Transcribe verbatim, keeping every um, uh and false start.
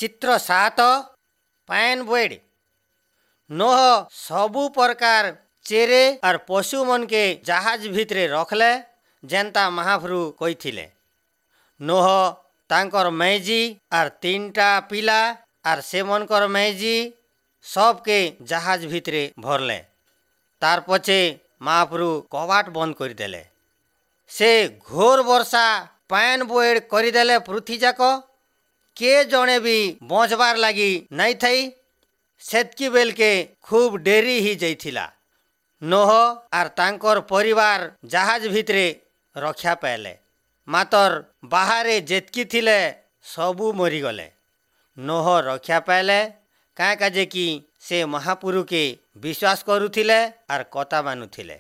ଚିତ୍ର ସାତ ପାଏନ୍ ବଏଡ଼ ନୋହ ସବୁ ପ୍ରକାର ଚେରେ ଆର୍ ପଶୁମନକେ ଜାହାଜ ଭିତରେ ରଖଲେ ଯେନ୍ତା ମହାପ୍ରଭୁ କହିଥିଲେ ନୋହ ତାଙ୍କର ମେଜି ଆର୍ ତିନିଟା ପିଲା ଆର୍ ସେମନଙ୍କର ମେଜି ସବକେ ଜାହାଜ ଭିତରେ ଭରଲେ ତାର ପଛେ ମହାପ୍ରଭୁ କବାଟ ବନ୍ଦ କରିଦେଲେ ସେ ଘୋର ବର୍ଷା ପାଏନ୍ ବଏଡ଼ କରିଦେଲେ ପୃଥ୍ୱୀ ଯାକ କେ ଜଣେ ବି ବଞ୍ଚବାର ଲାଗି ନାଇଁ ଥାଇ ସେତ୍କି ବେଲକେ ଖୁବ୍ ଡେରି ହେଇଯାଇଥିଲା ନୋହ ଆର୍ ତାଙ୍କର ପରିବାର ଜାହାଜ ଭିତରେ ରକ୍ଷା ପାଇଲେ ମାତର ବାହାରେ ଯେତ୍କି ଥିଲେ ସବୁ ମରିଗଲେ ନୋହ ରକ୍ଷା ପାଇଲେ କାଁ କାଜେ କି ସେ ମହାପୁରୁକେ ବିଶ୍ୱାସ କରୁଥିଲେ ଆର୍ କଥା ମାନୁଥିଲେ।